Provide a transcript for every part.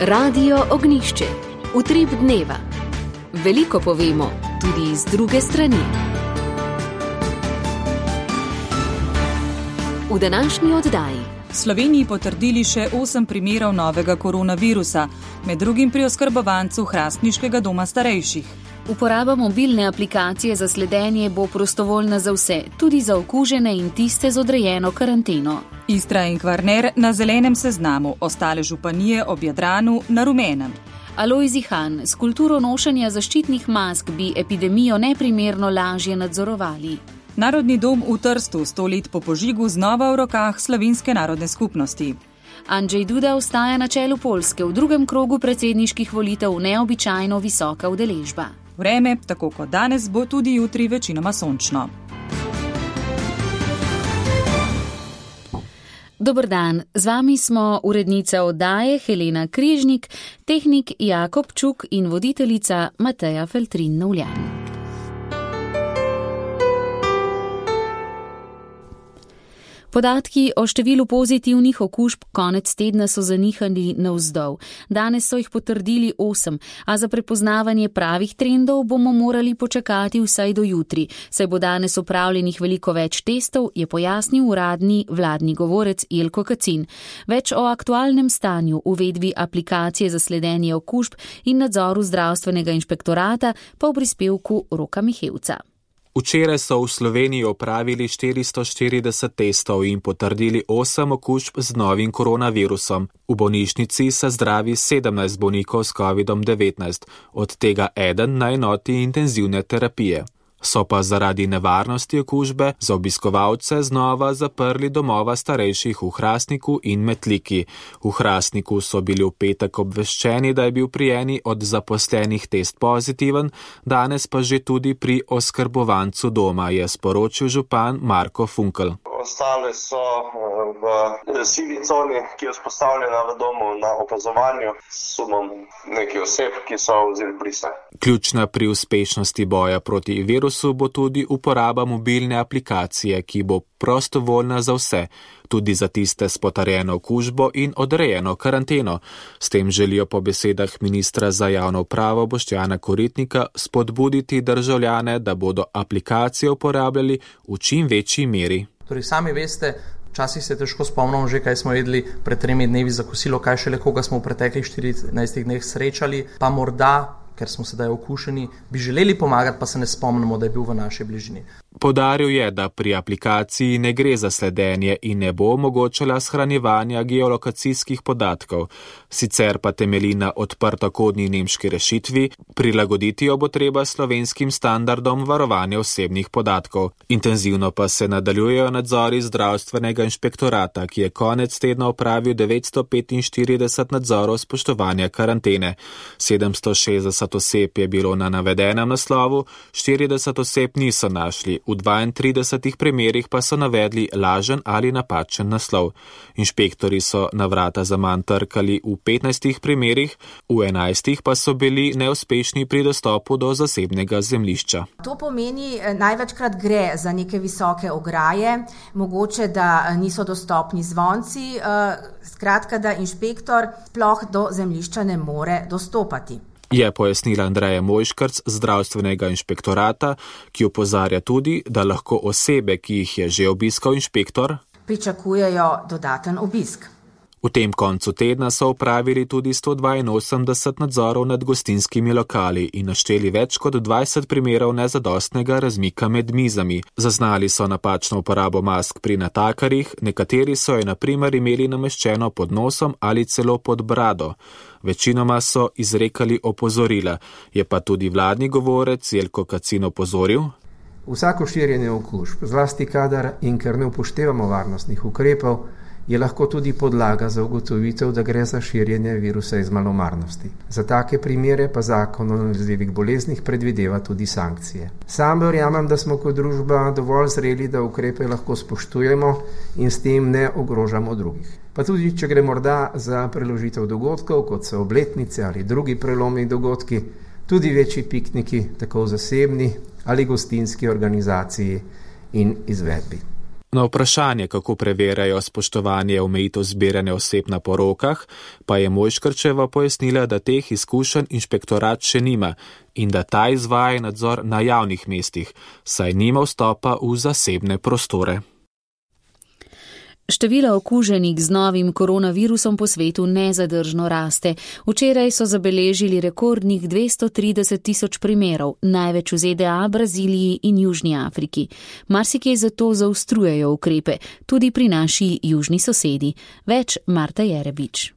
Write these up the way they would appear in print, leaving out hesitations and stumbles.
Radio Ognjišče. Utrip dneva. Veliko povemo, tudi iz druge strani. V današnji oddaji. V Sloveniji potrdili še 8 primerov novega koronavirusa, med drugim pri oskrbovancu Hrastniškega doma starejših. Uporaba mobilne aplikacije za sledenje bo prostovoljna za vse, tudi za okužene in tiste z odrejeno karanteno. Istra in Kvarner na zelenem seznamu, ostale županije ob Jadranu na rumenem. Alojzi Han, s kulturo nošenja zaščitnih mask bi epidemijo neprimerno lažje nadzorovali. Narodni dom v Trstu 100 let po požigu znova v rokah Slovenske narodne skupnosti. Andrzej Duda ostaja na čelu Poljske, v drugem krogu predsedniških volitev neobičajno visoka udeležba. Vreme, tako kot danes, bo tudi jutri večinoma sončno. Dober dan, z vami smo urednica oddaje Helena Križnik, tehnik Jakob Čuk in voditeljica Mateja Feltrin-Novljan. Podatki o številu pozitivnih okužb konec tedna so zanihali navzdol. Danes so jih potrdili 8, a za prepoznavanje pravih trendov bomo morali počakati vsaj do jutri, saj bo danes opravljenih veliko več testov, je pojasnil uradni vladni govorec Jelko Kacin. Več o aktualnem stanju, uvedbi aplikacije za sledenje okužb in nadzoru zdravstvenega inšpektorata pa v prispevku Roka Mihevca. Včeraj so v Sloveniji opravili 440 testov in potrdili 8 okužb z novim koronavirusom. V bolnišnici se zdravi 17 bolnikov s COVID-19, od tega eden na enoti intenzivne terapije. So pa zaradi nevarnosti okužbe za obiskovalce znova zaprli domova starejših v Hrastniku in Metliki. V Hrastniku so bili v petek obveščeni, da je bil pri eni od zaposlenih test pozitiven, danes pa že tudi pri oskrbovancu doma, je sporočil župan Marko Funkel. Ostale so v sivi coni, ki je vzpostavljena v domu na opazovanju s sumom nekih oseb, ki so vzeli brise. Ključna pri uspešnosti boja proti virusu bo tudi uporaba mobilne aplikacije, ki bo prostovoljna za vse, tudi za tiste s potrjeno okužbo in odrejeno karanteno. S tem želijo po besedah ministra za javno upravo Boštjana Koritnika spodbuditi državljane, da bodo aplikacijo uporabljali v čim večji meri. Torej, sami veste, včasih se težko spomnimo že, kaj smo jedli pred 3 dnevi za kosilo, kaj šele koga smo v preteklih 14 dneh srečali, pa morda, ker smo sedaj okušeni, bi želeli pomagati, pa se ne spomnimo, da je bil v naši bližini. Poudaril je, da pri aplikaciji ne gre za sledenje in ne bo omogočala shranjevanja geolokacijskih podatkov. Sicer pa temelji na odprtokodni nemški rešitvi, prilagoditi jo bo treba slovenskim standardom varovanja osebnih podatkov. Intenzivno pa se nadaljujejo nadzori zdravstvenega inšpektorata, ki je konec tedna opravil 945 nadzorov spoštovanja karantene. 760 oseb je bilo na navedenem naslovu, 40 oseb niso našli. V 32 primerih pa so navedli lažen ali napačen naslov. Inšpektori so na vrata zaman trkali v 15 primerih, v 11 pa so bili neuspešni pri dostopu do zasebnega zemljišča. To pomeni, največkrat gre za neke visoke ograje, mogoče, da niso dostopni zvonci, skratka, da inšpektor sploh do zemljišča ne more dostopati. Je pojasnila Andreja Mojškrc z zdravstvenega inšpektorata, ki opozarja tudi, da lahko osebe, ki jih je že obiskal inšpektor, pričakujejo dodaten obisk. V tem koncu tedna so opravili tudi 182 nadzorov nad gostinskimi lokali in našteli več kot 20 primerov nezadostnega razmika med mizami. Zaznali so napačno uporabo mask pri natakarjih, nekateri so jo na primer imeli nameščeno pod nosom ali celo pod brado. Večinoma so izrekali opozorila, je pa tudi vladni govorec Jelko Kacin opozoril. Vsako širjenje okužb, zlasti kadar in ker ne upoštevamo varnostnih ukrepov, je lahko tudi podlaga za ugotovitev, da gre za širjenje virusa iz malomarnosti. Za take primere pa zakon o nalezljivih boleznih predvideva tudi sankcije. Sam verjamem, da smo kot družba dovolj zreli, da ukrepe lahko spoštujemo in s tem ne ogrožamo drugih. Pa tudi, če gre morda za preložitev dogodkov, kot so obletnice ali drugi prelomni dogodki, tudi večji pikniki, tako v zasebni ali gostinski organizaciji in izvedbi. Na vprašanje, kako preverjajo spoštovanje omejitev zbiranja oseb na porokah, pa je Mojškrčeva pojasnila, da teh izkušenj inšpektorat še nima in da ta izvaja nadzor na javnih mestih, saj nima vstopa v zasebne prostore. Število okuženih z novim koronavirusom po svetu nezadržno raste. Včeraj so zabeležili rekordnih 230.000 primerov, največ v ZDA, Braziliji in Južni Afriki. Marsikje zato zaostrujejo ukrepe, tudi pri naši južni sosedi. Več Marta Jerebič.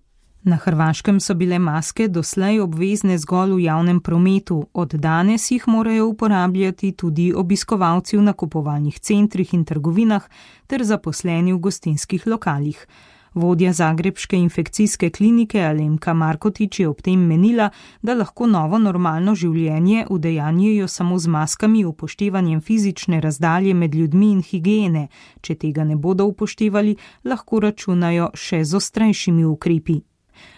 Na Hrvaškem so bile maske doslej obvezne zgolj v javnem prometu, od danes jih morajo uporabljati tudi obiskovalci v nakupovalnih centrih in trgovinah ter zaposleni v gostinskih lokalih. Vodja zagrebške infekcijske klinike Alemka Markotič je ob tem menila, da lahko novo normalno življenje udejanjujejo samo z maskami, upoštevanjem fizične razdalje med ljudmi in higiene. Če tega ne bodo upoštevali, lahko računajo še z ostrejšimi ukrepi.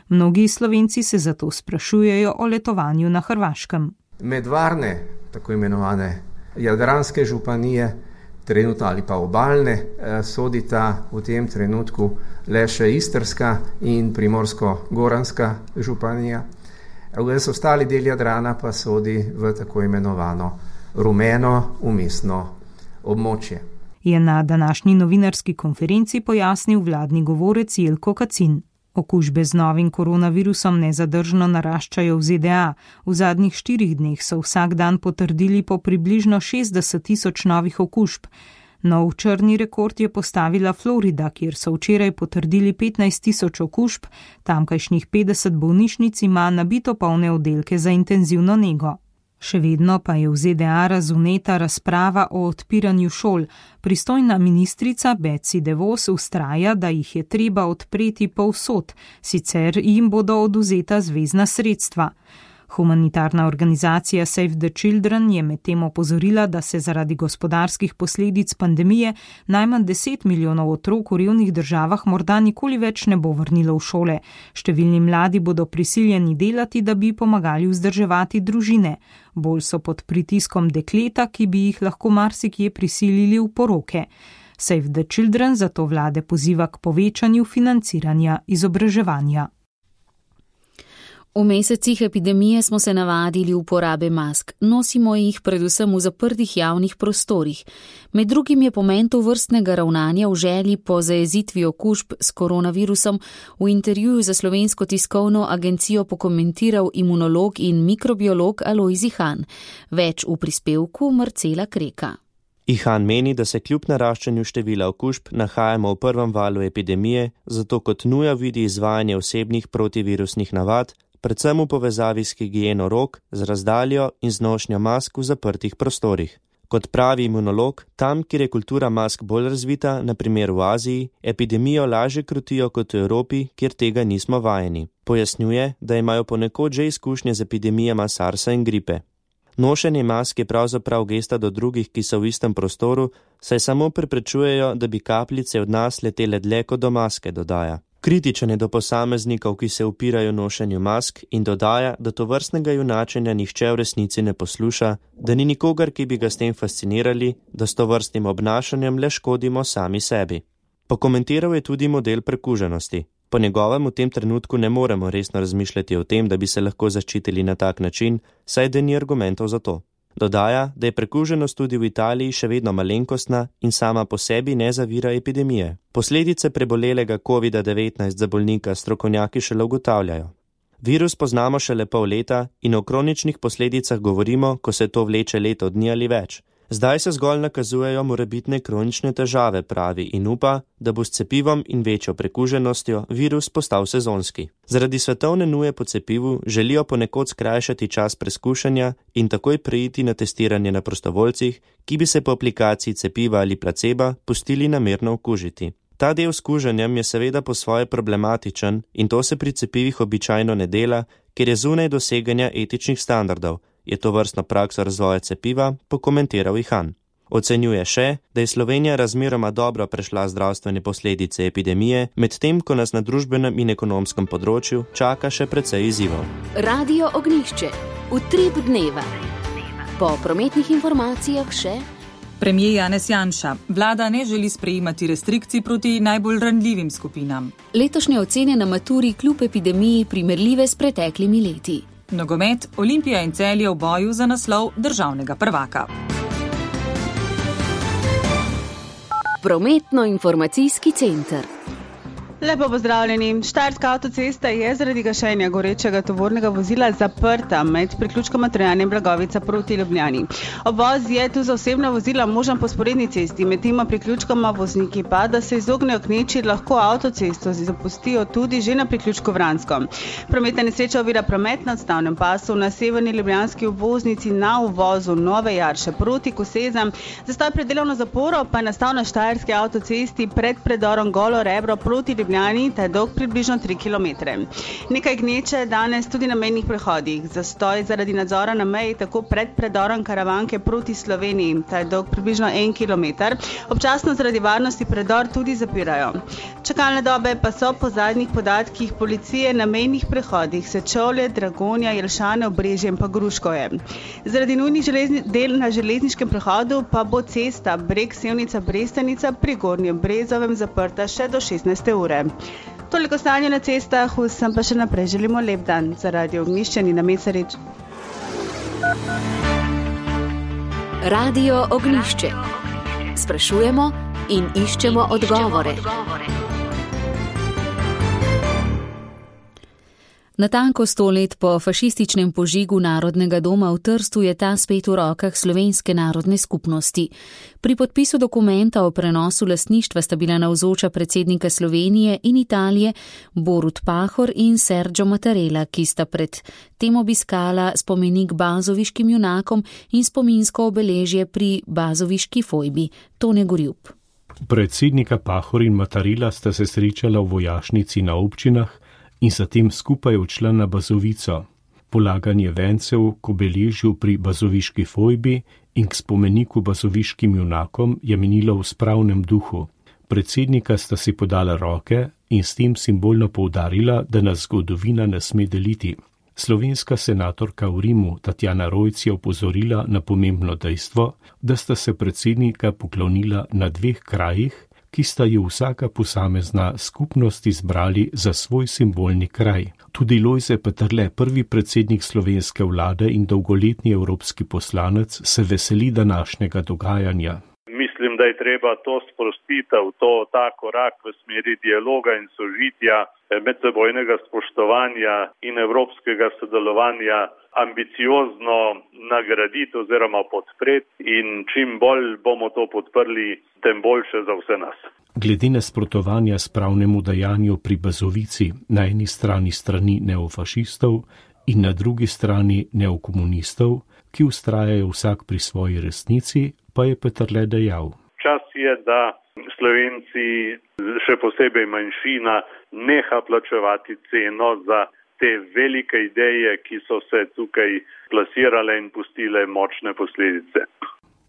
Mnogi Slovenci se zato sprašujejo o letovanju na Hrvaškem. Med varne, tako imenovane jadranske županije, trenutno ali pa obalne, sodita v tem trenutku le še Istrska in Primorsko-Goranska županija. Ves ostali del Jadrana pa sodi v tako imenovano rumeno umestno območje. Je na današnji novinarski konferenci pojasnil vladni govorec Jelko Kacin. Okužbe z novim koronavirusom nezadržno naraščajo v ZDA. V zadnjih 4 dneh so vsak dan potrdili po približno 60.000 novih okužb. Nov črni rekord je postavila Florida, kjer so včeraj potrdili 15.000 okužb, tamkajšnjih 50 bolnišnic ima nabito polne oddelke za intenzivno nego. Še vedno pa je v ZDA razvneta razprava o odpiranju šol. Pristojna ministrica Betsy DeVos vztraja, da jih je treba odpreti povsod, sicer jim bodo odvzeta zvezna sredstva. Humanitarna organizacija Save the Children je medtem opozorila, da se zaradi gospodarskih posledic pandemije najmanj 10 milijonov otrok v revnih državah morda nikoli več ne bo vrnilo v šole. Številni mladi bodo prisiljeni delati, da bi pomagali vzdrževati družine. Bolj so pod pritiskom dekleta, ki bi jih lahko marsikje prisilili v poroke. Save the Children zato vlade poziva k povečanju financiranja izobraževanja. V mesecih epidemije smo se navadili uporabe mask. Nosimo jih predvsem v zaprtih javnih prostorih. Med drugim je pomen tovrstnega ravnanja v želji po zajezitvi okužb s koronavirusom v intervjuju za Slovensko tiskovno agencijo pokomentiral imunolog in mikrobiolog Alojz Ihan. Več v prispevku Marcela Kreka. Ihan meni, da se kljub naraščanju števila okužb nahajamo v prvem valu epidemije, zato kot nuja vidi izvajanje osebnih protivirusnih navad, predvsem v povezavi s higieno rok, z razdaljo in z nošnjo mask v zaprtih prostorih. Kot pravi imunolog, tam, kjer je kultura mask bolj razvita, na primer v Aziji, epidemijo lažje krutijo kot v Evropi, kjer tega nismo vajeni. Pojasnjuje, da imajo ponekod že izkušnje z epidemijama SARS-a in gripe. Nošenje mask je pravzaprav gesta do drugih, ki so v istem prostoru, saj samo preprečujejo, da bi kapljice od nas letele dlje kot do maske, dodaja. Kritičen je do posameznikov, ki se upirajo nošenju mask in dodaja, da tovrstnega junačenja nihče v resnici ne posluša, da ni nikogar, ki bi ga s tem fascinirali, da s tovrstnim obnašanjem le škodimo sami sebi. Pokomentiral je tudi model prekuženosti. Po njegovem v tem trenutku ne moremo resno razmišljati o tem, da bi se lahko zaščitili na tak način, saj da ni argumentov za to. Dodaja, da je prekuženost tudi v Italiji še vedno malenkostna in sama po sebi ne zavira epidemije. Posledice prebolelega COVID-19 za bolnika strokovnjaki šele ugotavljajo. Virus poznamo šele pol leta in o kroničnih posledicah govorimo, ko se to vleče leto dni ali več. Zdaj se zgolj nakazujejo morebitne kronične težave, pravi, in upa, da bo s cepivom in večjo prekuženostjo virus postal sezonski. Zaradi svetovne nuje po cepivu želijo ponekod skrajšati čas preskušanja in takoj preiti na testiranje na prostovoljcih, ki bi se po aplikaciji cepiva ali placeba pustili namerno okužiti. Ta del s kuženjem je seveda po svoje problematičen in to se pri cepivih običajno ne dela, ker je zunaj doseganja etičnih standardov. Je to vrstno prakso razvoja cepiva, pokomentiral Ihan. Ocenjuje še, da je Slovenija razmeroma dobro prešla zdravstvene posledice epidemije, medtem ko nas na družbenem in ekonomskem področju čaka še precej izzivov. Radio Ognjišče. Utrip dneva. Po prometnih informacijah še Premijer Janez Janša. Vlada ne želi sprejemati restrikcij proti najbolj ranljivim skupinam. Letošnje ocene na maturi kljub epidemiji primerljive s preteklimi leti. Nogomet, Olimpija in Celje v boju za naslov državnega prvaka. Prometno-informacijski center. Lepo pozdravljeni. Štajerska avtocesta je zaradi gašenja gorečega tovornega vozila zaprta med priključkoma Trojane in Blagovica proti Ljubljani. Obvoz je tu za osebna vozila možen po sporedni cesti, medtem priključkoma vozniki pa, da se izognejo gneči, lahko avtocesto zapustijo tudi že na priključku Vransko. Prometna nesreča ovira promet na odstavnem pasu na severni ljubljanski obvoznici na uvozu Nove Jarše proti Kosezam. Zastoj pred delovno zaporo pa je nastal na štajerski avtocesti pred predorom Golo Rebro proti Ljubljani, ta je dolg približno 3 km. Nekaj gneče danes tudi na mejnih prehodih. Zastoj zaradi nadzora na meji tako pred predorom Karavanke proti Sloveniji, ta je dolg približno 1 km. Občasno zaradi varnosti predor tudi zapirajo. Čakalne dobe pa so po zadnjih podatkih policije na mejnih prehodih Sečovlje, Dragonja, Jelšane, Obrežje in pa Gruškovje. Zaradi nujnih del na železniškem prehodu pa bo cesta Breg-Sevnica-Brestenica pri Gornjem Brezovem zaprta še do 16. ure. Toliko stanje na cestah, vsem pa še naprej želimo lep dan. Za Radio Ognjišče Nina Mesarič. Radio Ognjišče. Sprašujemo in iščemo odgovore. Natanko 100 let po fašističnem požigu Narodnega doma v Trstu je ta spet v rokah slovenske narodne skupnosti. Pri podpisu dokumenta o prenosu lastništva sta bila navzoča predsednika Slovenije in Italije Borut Pahor in Sergio Mattarella, ki sta pred tem obiskala spomenik bazoviškim junakom in spominsko obeležje pri bazoviški fojbi. Tone Gorjup. Predsednika Pahor in Mattarella sta se srečala v vojašnici na občinah in zatem skupaj odšla na Bazovico. Polaganje vencev k obeležju pri bazoviški fojbi in k spomeniku bazoviškim junakom je minilo v spravnem duhu. Predsednika sta si podala roke in s tem simbolno poudarila, da nas zgodovina ne sme deliti. Slovenska senatorka v Rimu Tatjana Rojc je opozorila na pomembno dejstvo, da sta se predsednika poklonila na 2 krajih, ki sta ju vsaka posamezna skupnost izbrali za svoj simbolni kraj. Tudi Lojze Peterle, prvi predsednik slovenske vlade in dolgoletni evropski poslanec, se veseli današnjega dogajanja. Mislim, da je treba to sprostitev, ta korak v smeri dialoga in sožitja, medsebojnega spoštovanja in evropskega sodelovanja ambiciozno nagraditi oziroma podpreti in čim bolj bomo to podprli, tem boljše za vse nas. Glede nasprotovanja spravnemu dejanju pri Bazovici, na eni strani neofašistov in na drugi strani neokomunistov, ki vztrajajo vsak pri svoji resnici, pa je Peterle dejal. Čas je, da Slovenci, še posebej manjšina, neha plačevati ceno za te velike ideje, ki so se tukaj plasirale in pustile močne posledice.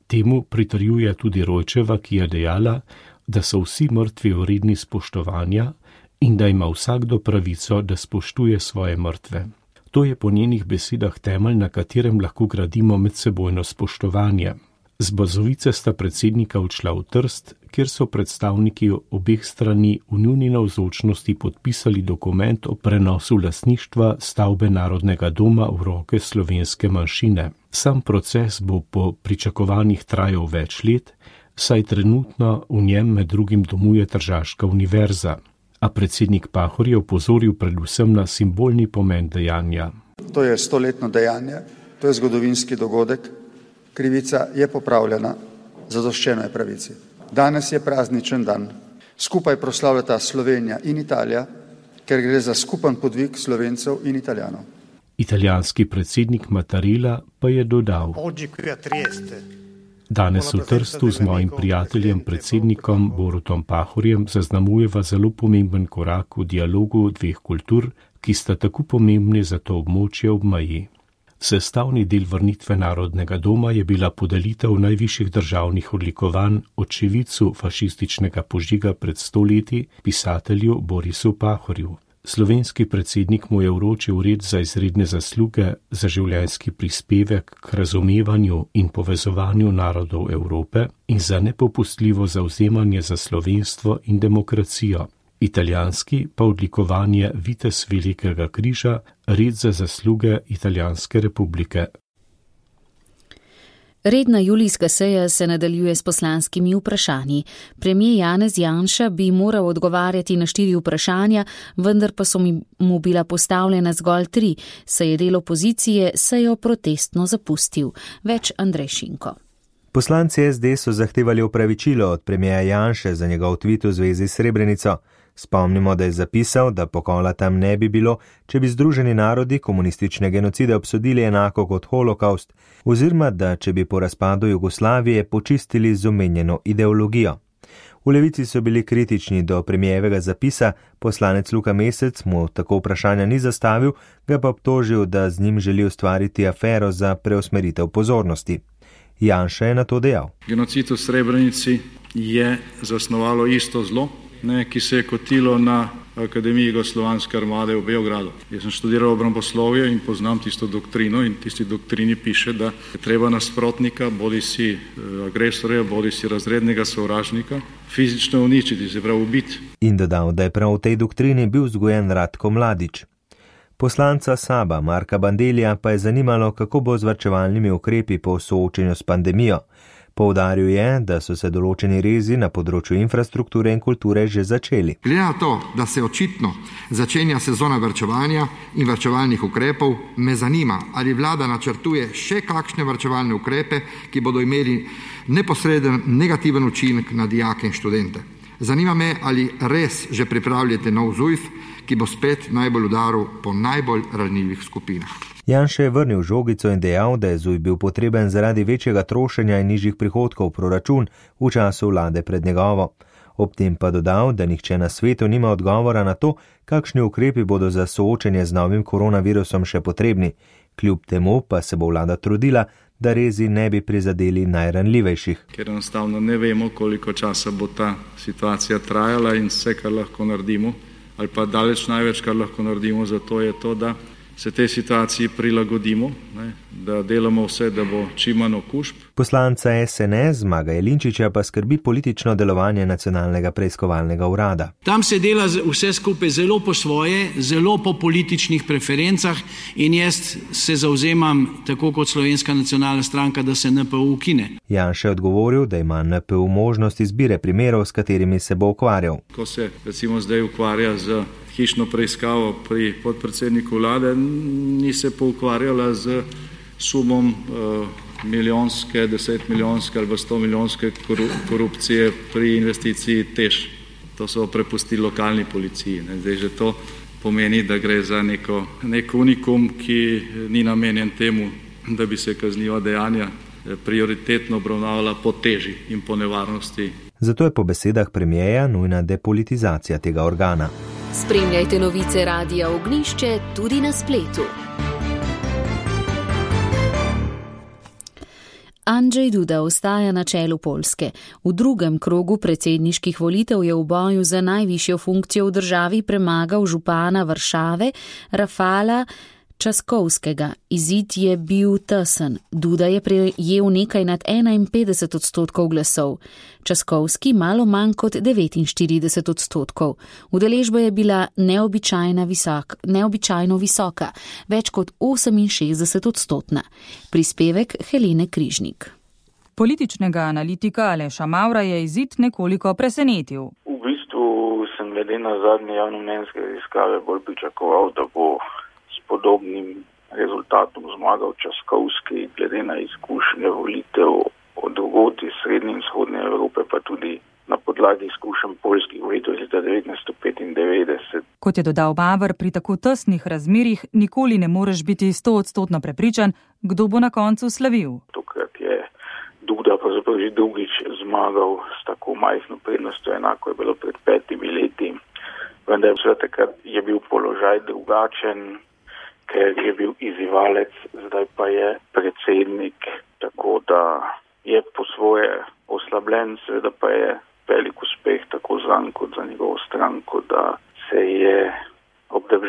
Temu pritrjuje tudi Rojčeva, ki je dejala, da so vsi mrtvi vredni spoštovanja in da ima vsakdo pravico, da spoštuje svoje mrtve. To je po njenih besedah temelj, na katerem lahko gradimo medsebojno spoštovanje. Z Bazovice sta predsednika odšla v Trst, kjer so predstavniki obeh strani v njuni navzočnosti podpisali dokument o prenosu lastništva stavbe Narodnega doma v roke slovenske manjšine. Sam proces bo po pričakovanjih trajal več let, saj trenutno v njem med drugim domuje Tržaška univerza. A predsednik Pahor je opozoril predvsem na simbolni pomen dejanja. To je 100-letno dejanje, to je zgodovinski dogodek. Krivica je popravljena, zadoščeno je pravici. Danes je prazničen dan. Skupaj proslavljata Slovenija in Italija, ker gre za skupen podvig Slovencev in Italijanov. Italijanski predsednik Mattarella pa je dodal. Danes v Trstu z mojim prijateljem, predsednikom Borutom Pahorjem, zaznamujeva zelo pomemben korak v dialogu 2 kultur, ki sta tako pomembni za to območje ob meji. Sestavni del vrnitve Narodnega doma je bila podelitev najvišjih državnih odlikovanj očividcu fašističnega požiga pred 100 leti, pisatelju Borisu Pahorju. Slovenski predsednik mu je vročil red za izredne zasluge za življenjski prispevek k razumevanju in povezovanju narodov Evrope in za nepopustljivo zavzemanje za slovenstvo in demokracijo. Italijanski pa odlikovanje Vitez Velikega križa, red za zasluge Italijanske republike. Redna julijska seja se nadaljuje s poslanskimi vprašanji. Premijer Janez Janša bi moral odgovarjati na 4 vprašanja, vendar pa so mu bila postavljena zgolj 3, saj je del opozicije sejo protestno zapustil. Več Andrej Šinko. Poslanci SD so zahtevali opravičilo od premijerja Janše za njegov tweet v zvezi s Srebrenico. Spomnimo, da je zapisal, da pokola tam ne bi bilo, če bi Združeni narodi komunistične genocide obsodili enako kot holokaust, oziroma da če bi po razpadu Jugoslavije počistili z omenjeno ideologijo. V Levici so bili kritični do premijevega zapisa, poslanec Luka Mesec mu tako vprašanja ni zastavil, ga pa obtožil, da z njim želi ustvariti afero za preusmeritev pozornosti. Janša je na to dejal. Genocid v Srebrenici je zasnovalo isto zlo, ki se je kotilo na Akademiji Jugoslovanske armade v Beogradu. Jaz sem študiral obramboslovje in poznam tisto doktrino in tisti doktrini piše, da je treba nasprotnika, bodi si agresorja, bodi si razrednega sovražnika, fizično uničiti, se pravi ubiti. In dodal, da je prav v tej doktrini bil vzgojen Ratko Mladić. Poslanca Saba Marka Bandellija pa je zanimalo, kako bo z varčevalnimi ukrepi po soočenju s pandemijo. Poudaril je, da so se določeni rezi na področju infrastrukture in kulture že začeli. Glede na to, da se očitno začenja sezona varčevanja in varčevalnih ukrepov, me zanima, ali vlada načrtuje še kakšne varčevalne ukrepe, ki bodo imeli neposreden negativen učinek na dijake in študente. Zanima me, ali res že pripravljate nov ZUJF, ki bo spet najbolj udaril po najbolj ranljivih skupinah. Janša je vrnil žogico in dejal, da je ZUJF bil potreben zaradi večjega trošenja in nižjih prihodkov v proračun v času vlade pred njegovo. Ob tem pa dodal, da nihče na svetu nima odgovora na to, kakšni ukrepi bodo za soočenje z novim koronavirusom še potrebni. Kljub temu pa se bo vlada trudila, da rezi ne bi prizadeli najranljivejših. Ker enostavno ne vemo, koliko časa bo ta situacija trajala in vse, kar lahko naredimo, ali pa daleč največ, kar lahko naredimo, zato je to, da se tej situaciji prilagodimo, da delamo vse, da bo čim manj okužb. Poslanca SNS Zmaga Jelinčiča pa skrbi politično delovanje Nacionalnega preiskovalnega urada. Tam se dela vse skupaj zelo po svoje, zelo po političnih preferencah in jaz se zavzemam, tako kot Slovenska nacionalna stranka, da se NPU ukine. Janša je odgovoril, da ima NPU možnost izbire primerov, s katerimi se bo ukvarjal. Ko se recimo zdaj ukvarja z hišno preiskavo pri podpredsedniku vlade, ni se pa ukvarjala z sumom milijonske, 10 milijonske ali 100 milijonske korupcije pri investiciji TEŠ. To so prepustili lokalni policiji. Zdaj že to pomeni, da gre za nek unikum, ki ni namenjen temu, da bi se kazniva dejanja prioritetno obravnavala po teži in po nevarnosti. Zato je po besedah premijeja nujna depolitizacija tega organa. Spremljajte novice Radia Ognjišče tudi na spletu. Andrzej Duda ostaja na čelu Poljske. V drugem krogu predsedniških volitev je v boju za najvišjo funkcijo v državi premagal župana Varšave Rafala Časkovskega. Izid je bil tesen. Duda je prejel nekaj nad 51% glasov. Časkovski malo manj kot 49%. Udeležba je bila neobičajno visoka, več kot 68%. Prispevek Helene Križnik. Političnega analitika Aleša Mavra je izid nekoliko presenetil. V bistvu sem glede na zadnje javnomnenjske raziskave bolj pričakoval, da bo podobnim rezultatom zmagal Časkovski, glede na izkušnje volitev od drugod iz srednje in vzhodne Evrope, pa tudi na podlagi izkušenj poljskih volitev iz leta 1995. Kot je dodal Mavr, pri tako tesnih razmerih nikoli ne moreš biti 100% prepričan, kdo bo na koncu slavil. Tokrat je Duda pravzaprav že drugič zmagal s tako majhno prednostjo, enako je bilo pred 5 leti. Vendar takrat je bil položaj drugačen, ker je bil izzivalec, zdaj pa je predsednik, tako da je po svoje oslabljen, seveda pa je velik uspeh tako zanj kot za njegovo stranko, da se je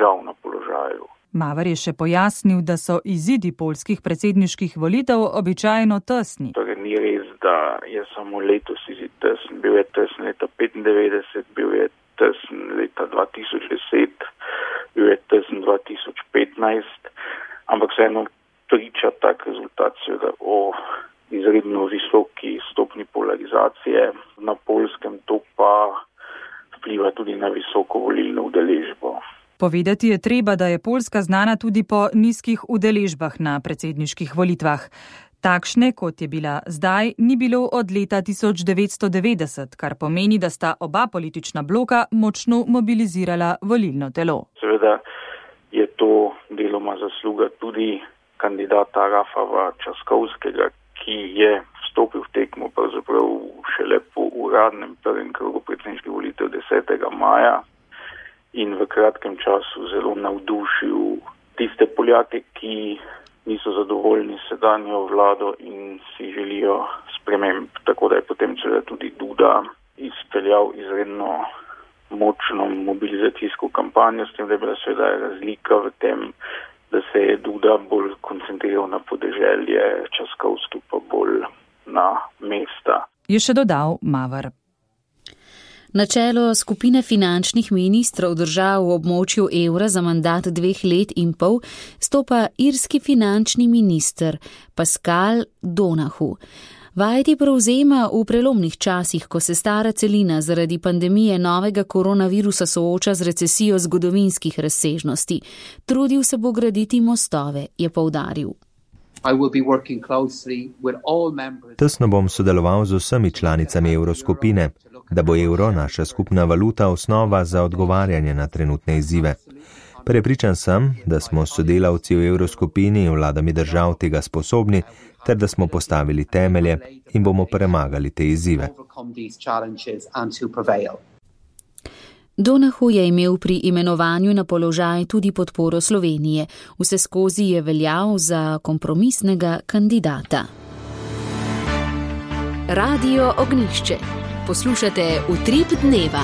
žal na položaju. Maver je še pojasnil, da so izidi poljskih predsedniških volitev običajno tesni. Torej ni res, da je samo letos izid tesen. Bil je tesen leta 1995, bil je tesen leta 2010, bil je tesen 2015, ampak vseeno priča tak rezultat seveda o izredno visoki stopni polarizacije. Na Poljskem to pa vpliva tudi na visoko volilno udeležbo. Povedati je treba, da je Poljska znana tudi po nizkih udeležbah na predsedniških volitvah. Takšne, kot je bila zdaj, ni bilo od leta 1990, kar pomeni, da sta oba politična bloka močno mobilizirala volilno telo. Seveda je to deloma zasluga tudi kandidata Rafała Trzaskowskiego, ki je vstopil v tekmo pravzaprav šele po uradnem prvem krogu predsedniških volitev 10. maja. In v kratkem času zelo navdušil tiste Poljake, ki niso zadovoljni s sedanjo vlado in si želijo sprememb. Tako da je potem tudi Duda izpeljal izredno močno mobilizacijsko kampanjo, s tem, da je bila seveda razlika v tem, da se je Duda bolj koncentriral na podeželje, Trzaskowski pa bolj na mesta. Je še dodal Maver. Na čelo skupine finančnih ministrov držav v območju evra za mandat 2 let in pol stopa irski finančni minister Pascal Donohoe. Vajeti prevzema v prelomnih časih, ko se stara celina zaradi pandemije novega koronavirusa sooča z recesijo zgodovinskih razsežnosti. Trudil se bo graditi mostove, je poudaril. Tesno bom sodeloval z vsemi članicami evroskupine, da bo evro naša skupna valuta osnova za odgovarjanje na trenutne izzive. Prepričan sem, da smo sodelavci v evroskupini in vladami držav tega sposobni, ter da smo postavili temelje in bomo premagali te izzive. Donohoe je imel pri imenovanju na položaj tudi podporo Slovenije. Vseskozi je veljal za kompromisnega kandidata. Radio Ognjišče. Poslušate Utrip dneva.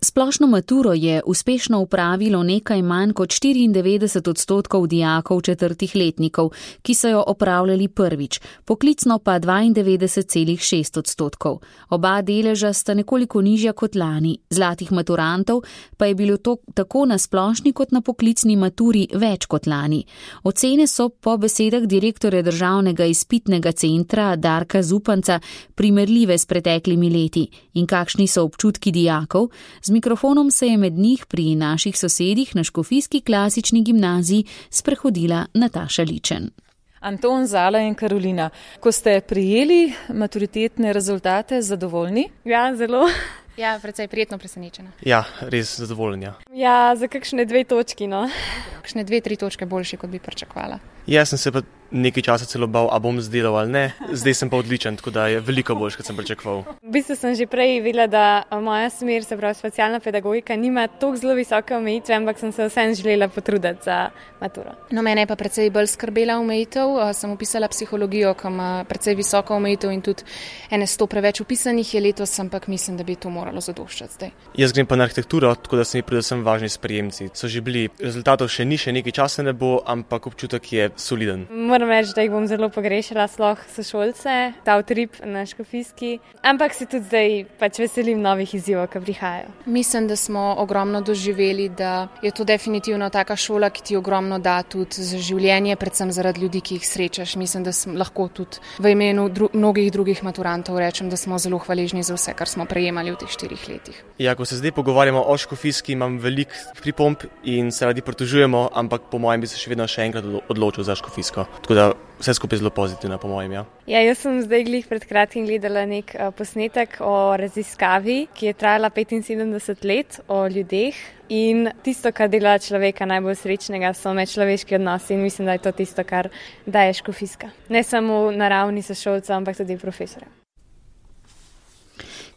Splošno maturo je uspešno upravilo nekaj manj kot 94% dijakov 4. letnikov, ki so jo opravljali prvič, poklicno pa 92,6%. Oba deleža sta nekoliko nižja kot lani, zlatih maturantov pa je bilo to tako na splošni kot na poklicni maturi več kot lani. Ocene so po besedah direktorja Državnega izpitnega centra Darka Zupanca primerljive s preteklimi leti. In kakšni so občutki dijakov? Z mikrofonom se je med njih pri naših sosedih na Škofijski klasični gimnaziji sprehodila Nataša Ličen. Anton, Zala in Karolina, ko ste prijeli maturitetne rezultate, zadovoljni? Ja, zelo. Ja, precej prijetno presenečena. Ja, res zadovoljna. Ja, za kakšne 2 točki, no. Kakšne 2-3 točke boljši, kot bi pričakovala. Jaz sem se pa nekaj časa celo bal, a bom zdelal ali ne. Zdaj sem pa odličen, tako da je veliko boljš, kot sem pričakoval. V bistvu sem že prej videla, da moja smer, se pravi specialna pedagogika, nima toliko zelo visoke omejitve, ampak sem se vsem želela potruditi za maturo. No, mene je pa precej bolj skrbela omejitev. Sem upisala psihologijo, ki ima precej visoko omejitev in tudi 100 preveč upisanih je letos, ampak mislim, da bi to moralo zadoščati zdaj. Jaz grem pa na arhitekturo, tako da so mi predvsem važni sprejemci. So že bili, rezultatov še ni, še nekaj časa ne bo, ampak občutek je soliden. Moram reči, da jih bom zelo pogrešala, sploh sošolce, ta utrip na Škofijski, ampak se tudi zdaj pač veselim novih izzivov, ki prihajajo. Mislim, da smo ogromno doživeli, da je to definitivno taka šola, ki ti ogromno da tudi za življenje, predvsem zaradi ljudi, ki jih srečaš. Mislim, da lahko tudi v imenu mnogih drugih maturantov rečem, da smo zelo hvaležni za vse, kar smo prejemali v teh 4 letih. Ja, ko se zdaj pogovarjamo o Škofijski, imam veliko pripomb in se radi pritožujemo, ampak po mojem bi se še vedno še enkrat odločil za Škofijsko. Tako da vse skupaj zelo pozitivno, po mojem, ja. Ja, jaz sem zdaj glih pred kratkim gledala nek posnetek o raziskavi, ki je trajala 75 let, o ljudeh. In tisto, kar dela človeka najbolj srečnega, so medčloveški odnosi in mislim, da je to tisto, kar daje Škofijska. Ne samo na ravni sošolcev, ampak tudi profesorjev.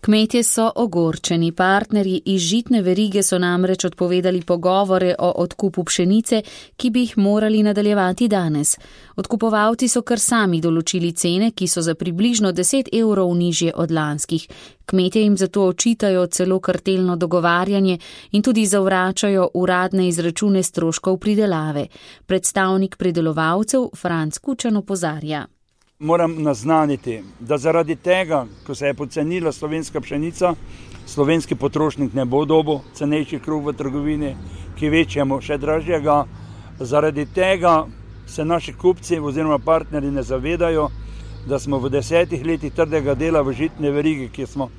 Kmetje so ogorčeni, partnerji iz žitne verige so namreč odpovedali pogovore o odkupu pšenice, ki bi jih morali nadaljevati danes. Odkupovalci so kar sami določili cene, ki so za približno 10 evrov nižje od lanskih. Kmetje jim zato očitajo celo kartelno dogovarjanje in tudi zavračajo uradne izračune stroškov pridelave. Predstavnik pridelovalcev Franc Kučan opozarja. Moram naznaniti, da zaradi tega, ko se je pocenila slovenska pšenica, slovenski potrošnik ne bo dobil cenejši kruh v trgovini, ki večjemu še dražjega. Zaradi tega se naši kupci oziroma partnerji ne zavedajo, da smo v 10 letih trdega dela v žitne verigi, ki smo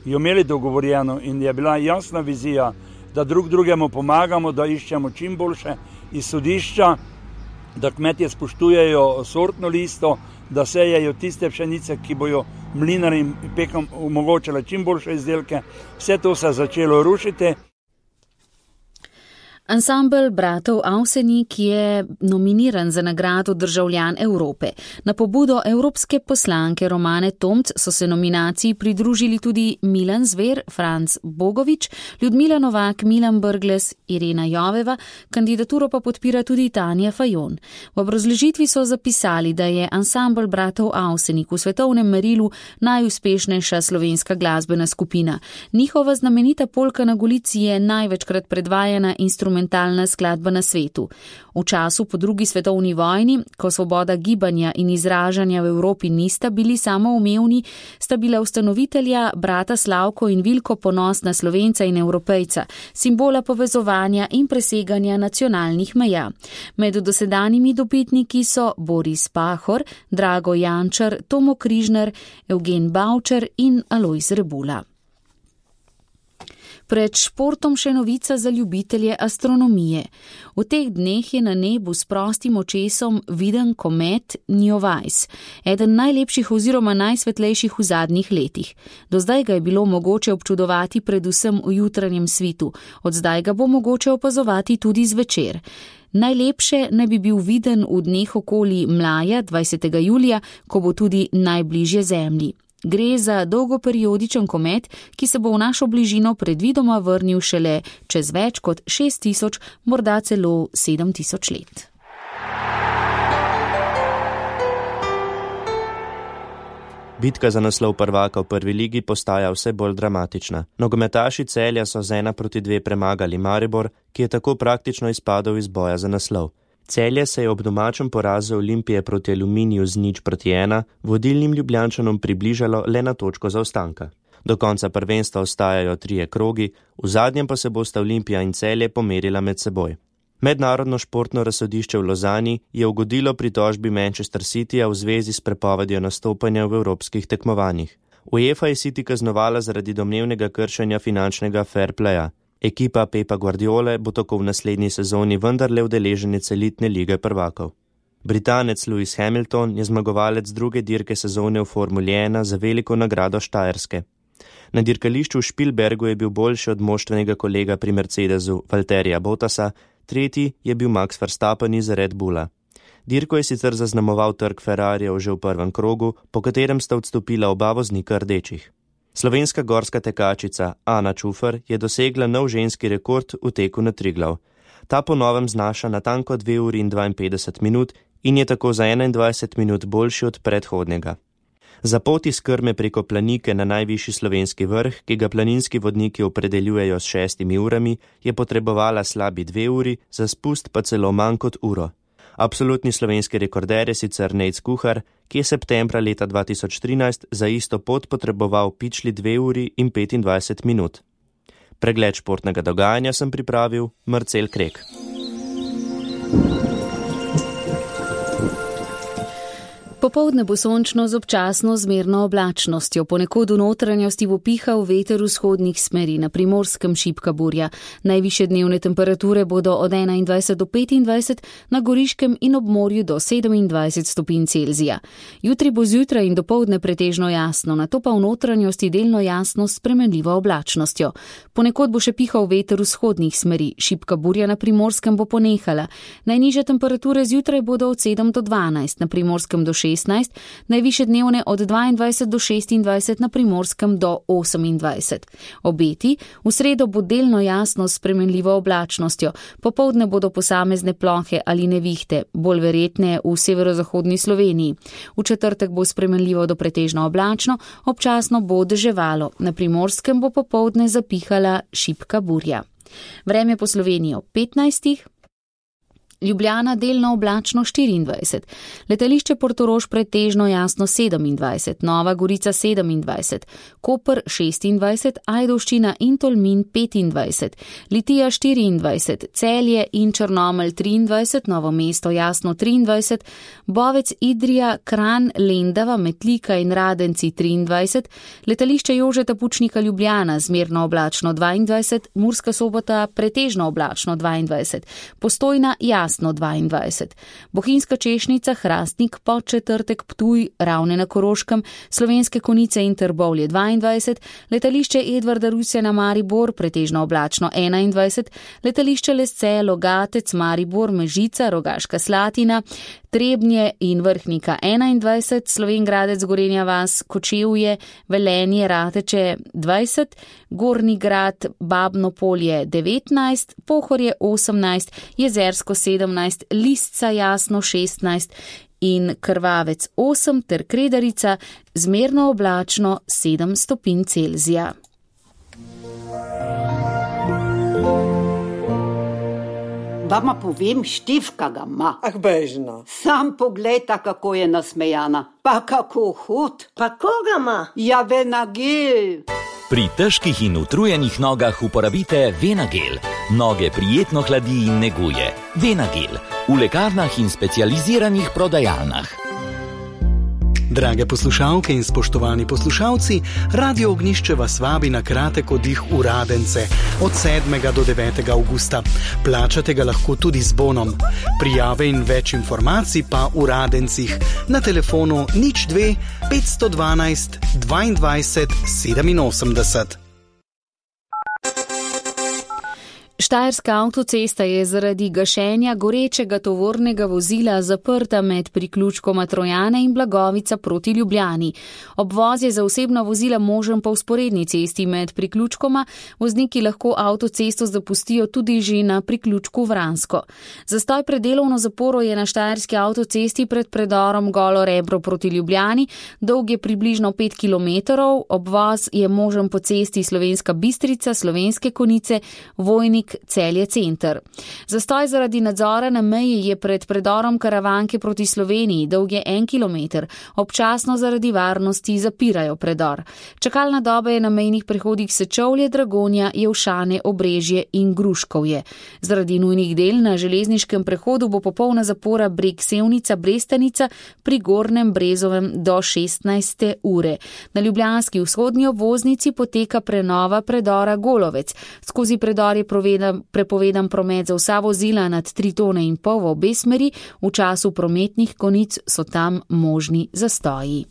jo imeli dogovorjeno in je bila jasna vizija, da drug drugemu pomagamo, da iščemo čim boljše izhodišča, da kmetje spoštujejo sortno listo, da sejejo tiste pšenice, ki bojo mlinarjem in pekom omogočale čim boljše izdelke. Vse to se je začelo rušiti. Ansambel bratov Avsenik je nominiran za nagrado Državljan Evrope. Na pobudo evropske poslanke Romane Tomc so se nominaciji pridružili tudi Milan Zver, Franc Bogovič, Ljudmila Novak, Milan Brglez, Irena Joveva, kandidaturo pa podpira tudi Tanja Fajon. V obrazložitvi so zapisali, da je ansambel bratov Avsenik v svetovnem merilu najuspešnejša slovenska glasbena skupina. Njihova znamenita polka na Golici je največkrat predvajana instrumentalna skladba na svetu. V času po drugi svetovni vojni, ko svoboda gibanja in izražanja v Evropi nista bili samoumevni, sta bila ustanovitelja brata Slavko in Vilko ponosna Slovenca in Evropejca, simbola povezovanja in preseganja nacionalnih meja. Med dosedanjimi dobitniki so Boris Pahor, Drago Jančar, Tomo Križnar, Evgen Bavčar in Alojz Rebula. Pred športom še novica za ljubitelje astronomije. V teh dneh je na nebu s prostim očesom viden komet Neowise, eden najlepših oziroma najsvetlejših v zadnjih letih. Do zdaj ga je bilo mogoče občudovati predvsem v jutranjem svitu, od zdaj ga bo mogoče opazovati tudi zvečer. Najlepše naj bi bil viden v dneh okoli mlaja 20. julija, ko bo tudi najbližje Zemlji. Gre za dolgoperiodičen komet, ki se bo v našo bližino predvidoma vrnil šele čez več kot 6000, morda celo 7000 let. Bitka za naslov prvaka v prvi ligi postaja vse bolj dramatična. Nogometaši Celja so z 1-2 premagali Maribor, ki je tako praktično izpadel iz boja za naslov. Celje se je ob domačem porazu Olimpije proti Aluminiju z 0-1 vodilnim Ljubljančanom približalo le na točko zaostanka. Do konca prvenstva ostajajo 3 krogi, v zadnjem pa se bosta Olimpija in Celje pomerila med seboj. Mednarodno športno razsodišče v Lozani je ugodilo pritožbi Manchester Cityja v zvezi s prepovedjo nastopanja v evropskih tekmovanjih. UEFA je City kaznovala zaradi domnevnega kršenja finančnega fair playa. Ekipa Pepa Guardiole bo tako v naslednji sezoni vendarle udeleženec elitne lige prvakov. Britanec Lewis Hamilton je zmagovalec druge dirke sezone v Formuli 1 za veliko nagrado Štajerske. Na dirkališču v Špilbergu je bil boljši od moštvenega kolega pri Mercedesu Valtterija Bottasa, tretji je bil Max Verstappen iz Red Bulla. Dirko je sicer zaznamoval trk Ferrarijev že v prvem krogu, po katerem sta odstopila oba voznika rdečih. Slovenska gorska tekačica Ana Čufer je dosegla nov ženski rekord v teku na Triglav. Ta po novem znaša natanko 2 uri in 52 minut in je tako za 21 minut boljši od predhodnega. Za pot iz Krme preko Planike na najvišji slovenski vrh, ki ga planinski vodniki opredeljujejo s 6 urami, je potrebovala slabi 2 uri, za spust pa celo manj kot uro. Absolutni slovenski rekorder je sicer Nejc Kuhar, ki je septembra leta 2013 za isto pot potreboval pičli 2 uri in 25 minut. Pregled športnega dogajanja sem pripravil Marcel Krek. Popoldne bo sončno z občasno zmerno oblačnostjo, ponekod v notranjosti bo pihal veter vzhodnih smeri, na Primorskem šibka burja. Najvišje dnevne temperature bodo od 21 do 25, na Goriškem in ob morju do 27 stopinj Celzija. Jutri bo zjutraj in dopoldne pretežno jasno, nato pa v notranjosti delno jasno s spremenljivo oblačnostjo. Ponekod bo še pihal veter vzhodnih smeri, šibka burja na Primorskem bo ponehala. Najnižje temperature zjutraj bodo od 7 do 12, na Primorskem do 6 16, najvišje dnevne od 22 do 26, na Primorskem do 28. Obeti: v sredo bo delno jasno s spremenljivo oblačnostjo, popoldne bodo posamezne plohe ali nevihte, bolj verjetne v severozahodni Sloveniji. V četrtek bo spremenljivo do pretežno oblačno, občasno bo deževalo, na Primorskem bo popoldne zapihala šibka burja. Vreme po Sloveniji ob 15. Ljubljana delno oblačno 24, letališče Portorož pretežno jasno 27, Nova Gorica 27, Koper 26, Ajdovščina in Tolmin 25, Litija 24, Celje in Črnomelj 23, Novo mesto jasno 23, Bovec, Idrija, Kranj, Lendava, Metlika in Radenci 23, letališče Jožeta Pučnika Ljubljana zmerno oblačno 22, Murska Sobota pretežno oblačno 22, Postojna jasno 22. Bohinjska Češnica, Hrastnik, Podčetrtek, Ptuj, Ravne na Koroškem, Slovenske Konjice in Trbovlje 22, letališče Edvarda Rusjana Maribor pretežno oblačno 21, letališče Lesce, Logatec, Maribor, Mežica, Rogaška Slatina, Trebnje in Vrhnika 21, Slovenj Gradec, Gorenja vas, Kočevje, Velenje, Rateče 20, Gornji Grad, Babno Polje 19, Pohorje 18, Jezersko 17, Lisca jasno 16 in Krvavec 8 ter Kredarica zmerno oblačno 7 stopinj Celzija. Vama povem, Štefka ga ima. Ah, bežno. Sam poglejta, kako je nasmejana. Pa kako hod. Pa koga ima? Ja, Venagel. Pri težkih in utrujenih nogah uporabite Venagel. Noge prijetno hladi in neguje. Venagel. V lekarnah in specializiranih prodajalnah. Drage poslušalke in spoštovani poslušalci, Radio Ognjišče vas vabi na kratek oddih v Radence od 7. do 9. avgusta. Plačate ga lahko tudi z bonom. Prijave in več informacij pa v Radencih na telefonu 02 512 22 87. Štajerska avtocesta je zaradi gašenja gorečega tovornega vozila zaprta med priključkoma Trojane in Blagovica proti Ljubljani. Obvoz je za osebna vozila možen po vzporedni cesti med priključkoma, vozniki lahko avtocesto zapustijo tudi že na priključku Vransko. Zastoj pred delovno zaporo je na štajerski avtocesti pred predorom Golo Rebro proti Ljubljani, dolg je približno 5 km, obvoz je možen po cesti Slovenska Bistrica, Slovenske Konjice, Vojnik, Celje center. Zastoj zaradi nadzora na meji je pred predorom Karavanke proti Sloveniji, dolg je 1 km, občasno zaradi varnosti zapirajo predor. Čakalna doba je na mejnih prehodih Sečovlje, Dragonja, Jevšane, Obrežje in Gruškovje. Zaradi nujnih del na železniškem prehodu bo popolna zapora Breg Sevnica, Brestanica pri Gornjem Brezovem do 16. ure. Na ljubljanski vzhodni obvoznici poteka prenova predora Golovec. Skozi predor je prepovedan promet za vsa vozila nad 3,5 tone v obe smeri, v času prometnih konic so tam možni zastoji.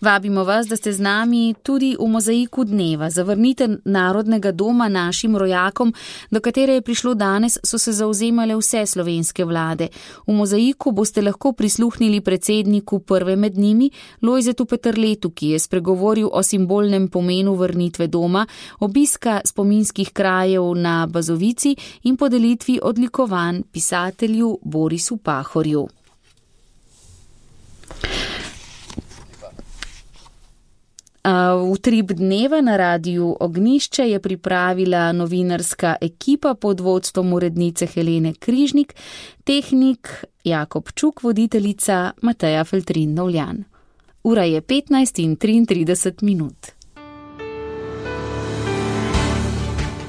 Vabimo vas, da ste z nami tudi v mozaiku dneva. Zavrnitev Narodnega doma našim rojakom, do katere je prišlo danes, so se zauzemale vse slovenske vlade. V mozaiku boste lahko prisluhnili predsedniku prve med njimi, Lojzetu Peterletu, ki je spregovoril o simbolnem pomenu vrnitve doma, obiska spominskih krajev na Bazovici in podelitvi odlikovanj pisatelju Borisu Pahorju. Utrip dneva na Radiu Ognjišče je pripravila novinarska ekipa pod vodstvom urednice Helene Križnik, tehnik Jakob Čuk, voditeljica Mateja Feltrin-Novljan. Ura je 15:33.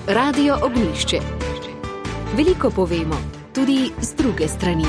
Radio Ognjišče. Veliko povemo, tudi z druge strani.